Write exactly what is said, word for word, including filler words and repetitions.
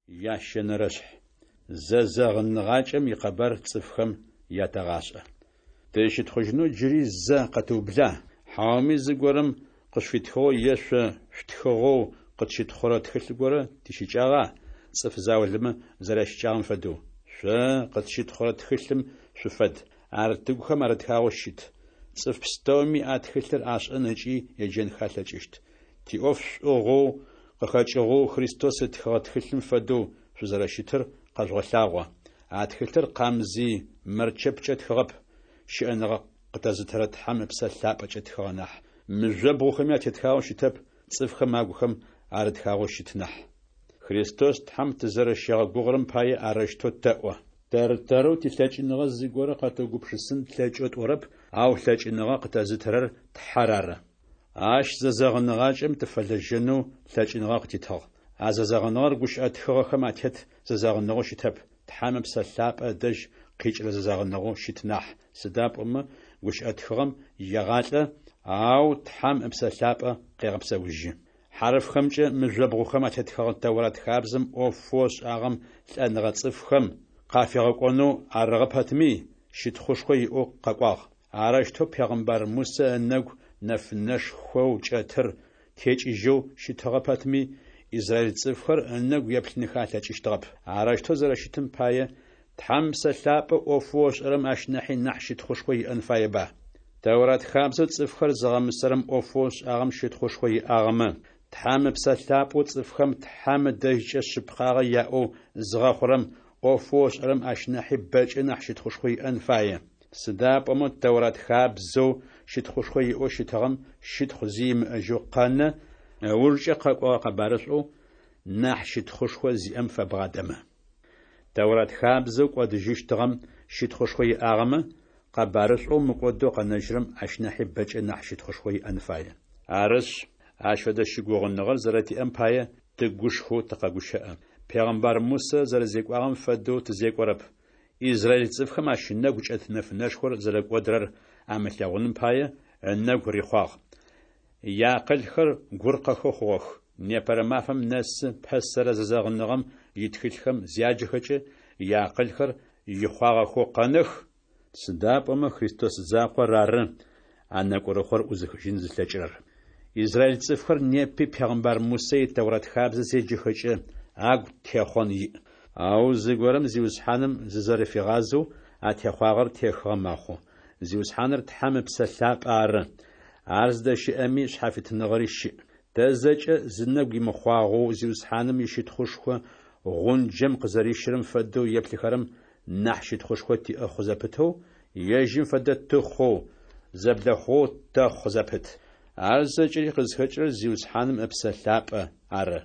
Ящэнэрэшъхь. Зэзэгъыныгъакӏэм икъэбар цӏыфхэм ятэгъашӏэ. Тызщытхъужьынэу джыри зэ къэтыубла? Хьауми зыгорэм къышъуфитхыгъэу е шъо шъутхыгъэу къытщытхъурэ тхылъ горэ тищыкӏагъа, цӏыф заулэмэ зэрящыкӏагъэм фэдэу? Шъо къытщытхъурэ тхылъым шъуфэд, ар тыгухэм арытхагъэу щыт. Цӏыф пстэуми а тхылъыр ашӏэн ыкӏи еджэнхэ алъэкӏыщт. Тиӏоф шӏугъэу къыхэкӏыгъэу Христос ытхыгъэ тхылъым фэдэу шъузэрэщытыр къэжъугъэлъагъо. А тхылъыр къамзый мэрчэпкӏэ тхыгъэп, щыӏэныгъэ къытэзытырэ Тхьэм Ыпсэ Лъапӏэкӏэ тхыгъэ нахь. Мыжъобгъухэми атетхагъэу щытэп, цӏыфхэм агухэм арытхагъэу щыт нахь. Христос Тхьэм тызэрэщигъэгугъырэм пае арэущтэу тэӏо. Тэр-тэрэу тилъэкӏыныгъэ зыгорэ къэтыугупшысын тлъэкӏэу тӏорэп, ау лъэкӏыныгъэ къытэзытырэр Тхьэр ары. Ащ зэзэгъыныгъакӏэм тыфэлэжьэнэу лъэкӏыныгъэ къытитыгъ. А зэзэгъыныгъэр гущыӏэ тхыгъэхэм атет зэзэгъыныгъэу щытэп, Тхьэм Ыпсэ Лъапӏэ ыдэжь къикӏырэ зэзэгъыныгъэу щыт нахь, сыда пӏомэ гущыӏэ тхыгъэм егъалӏэ, ау Тхьэм Ыпсэ Лъапӏэ къегъэпсэужьы. Хьарыфхэмкӏэ мыжъобгъухэм атетхэгъэ Тэурат хабзэм ӏофэу ышӏагъэм лӏэныгъэ цӏыфхэм къафигъэкӏонэу арыгъэ пэтми, щытхъушхо иӏэу къэкӏуагъ. Арэущтэу пегъымбар Мусэ ынэгу нэфынэшхоу кӏэтыр текӏыжьэу щытыгъэ пэтми, израиль цӏыфхэр ынэгу еплъынхэ алъэкӏыщтыгъэп. Арэущтэу зэрэщытым пае, Тхьэм Ыпсэ Лъапӏэ ӏофэу ышӏэрэм ащ нахьи нахь щытхъушхо иӏэн фаеба? Тэурат хабзэу цӏыфхэр зыгъэмысэрэм ӏофэу ышӏагъэм щытхъушхо иӏагъэмэ, Тхьэм Ыпсэ Лъапӏэу цӏыфхэм Тхьэм ыдэжькӏэ шъыпкъагъэ яӏэу зыгъэхъурэм ӏофэу ышӏэрэм ащ нахьи бэкӏэ нахь щытхъушхо иӏэн фае. Сыда пӏомэ Тэурат хабзэу щытхъушхо иӏэу щытыгъэм щытхъу зи имыӏэжьэу къэнэ, ыужкӏэ къэкӏогъэ къэбарышӏоу нахь щытхъушхо зиӏэм фэбгъадэмэ. Тэурат хабзэу кӏодыжьыщтыгъэм щытхъушхо иӏагъэмэ, къэбарышӏоу мыкӏодэу къэнэжьырэм ащ нахьи бэкӏэ нахь щытхъушхо иӏэн фае. Арышъ, ащ фэдэ щыгугъыныгъэр зэрэтиӏэм пае тыгушхоу тыкъэгущыӏэ. Пегъымбар Мусэ зэрэзекӏуагъэм фэдэу тызекӏорэп. Израиль цӏыфхэм ащ ынэгу кӏэт нэфынэшхор зэрэкӏодырэр амылъэгъуным пае, ынэгу рихъуагъ. Яакъылхэр гуркъэхэу хъугъэх. Непэрэ мафэм нэсы пэсэрэ зэзэгъыныгъэм итхылъхэм зяджэхэкӏэ, яакъылхэр ихъуагъэхэу къэнэх, сыда пӏомэ Христос закъор ары а нэкӏурыхъор ӏузыхыжьын зылъэкӏырэр. Израиль цӏыфхэр непи пегъымбар Мусэ и Тэурат хабзэ зеджэхэкӏэ, агу техъон иӏ. Ау зыгорэм Зиусхьаным зызэрэфигъазэу, а техъуагъэр техыгъэ мэхъу. Зиусхьаныр Тхьэм Ыпсэ Лъапӏэ ары. Ар зыдэщыӏэми шъхьафитыныгъэри щыӏ. Тэ зэкӏэ, зынэгу имыхъуагъэу Зиусхьаным ищытхъушхо гъунджэм къызэрищырэм фэдэу еплъыхэрэм нахь щытхъушхо тиӏэ хъу зэпытэу, ежьым фэдэ тыхъоу, зэблэхъугъэу тэхъу зэпыт. Ар зэкӏэри къызхэкӏырэр Зиусхьаным Ыпсэ Лъапӏэ ары.